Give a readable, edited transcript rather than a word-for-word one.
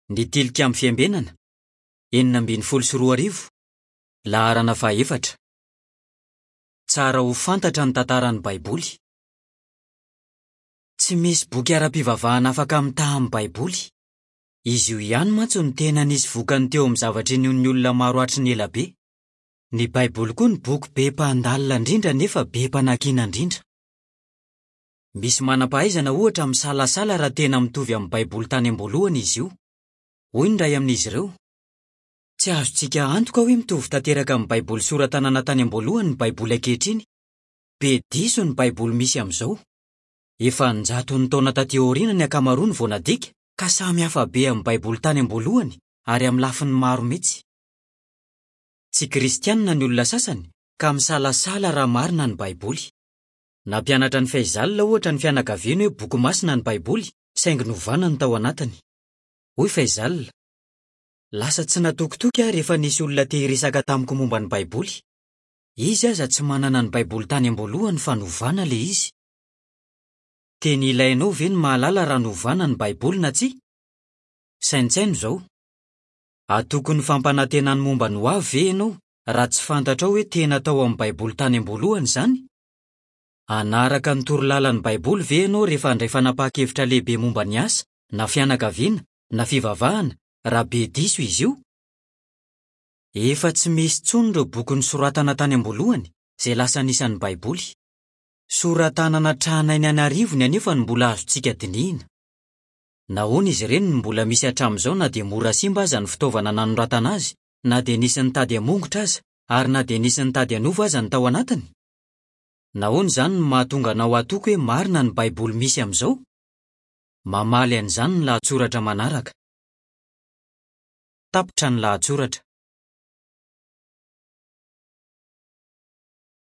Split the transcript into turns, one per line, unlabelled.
Ny Tilikambo Fiambenana, 2016, laharana fahefatra. Tsara ho fantatra ny tantaran'ny Baiboly. Tsy misy boky ara-pivavahana afaka mitaha amin'ny Baiboly. Izy io ihany mantsy no tena nisy vokany teo amin'ny zavatra inoan'ny olona maro hatry ny ela be. Ny Baiboly koa no boky be mpandalina indrindra nefa be mpanakiana indrindra. Misy manam-pahaizana, ohatra, misalasala raha tena mitovy amin'ny Baiboly tany am-boalohany izy io. Hoy ny iray amin'izy ireo, Tsy azontsika antoka hoe mitovy tanteraka amin'ny Baiboly sora-tanana tany am-boalohany ny Baiboly ankehitriny. Be diso ny Baiboly misy amin'izao. Efa an-jatony taona tatỳ aoriana ny ankamaroany vao nadika, ka samy hafa be amin'ny Baiboly tany am-boalohany, ary amin'ny lafiny maro mihitsy. Tsy Kristianina ny olona sasany, ka misalasala raha marina ny Baiboly. Nampianatra an'i Faizal, ohatra, ny fianakaviany hoe boky masina ny Baiboly, saingy novana ny tao anatiny. Hoy Faizal, Lasa tsy natokitoky aho rehefa nisy olona te hiresaka tamiko momba ny Baiboly. Izy aza tsy manana ny Baiboly tany am-boalohany fa novana ilay izy. Tena ilainao ve ny mahalala raha novana ny Baiboly na tsia? Saintsaino izao, Hatoky ny fampanantenany momba ny hoavy ve ianao raha tsy fantatrao hoe tena tao amin'ny Baiboly tany am-boalohany izany? Hanaraka ny torolalan'ny Baiboly ve ianao rehefa handray fanapahan-kevitra lehibe momba ny asa, na fianakaviana, na fivavahana, raha be diso izy io? Efa tsy misy intsony ireo boky nosoratana tany am-boalohany, izay lasa anisan'ny Baiboly. Sora-tanana tranainy an'arivony anefa no mbola azontsika dinihina. Nahoana izy ireny no mbola misy hatramin'izao na dia mora simba aza ny fitaovana nanoratana azy, na dia nisy nitady hamongotra aza, ary na dia nisy nitady hanova aza ny tao anatiny? Nahoana izany no mahatonga anao hatoky hoe marina ny Baiboly misy amin'izao? Mamaly an'izany ny lahatsoratra manaraka. Tapitra ny lahatsoratra.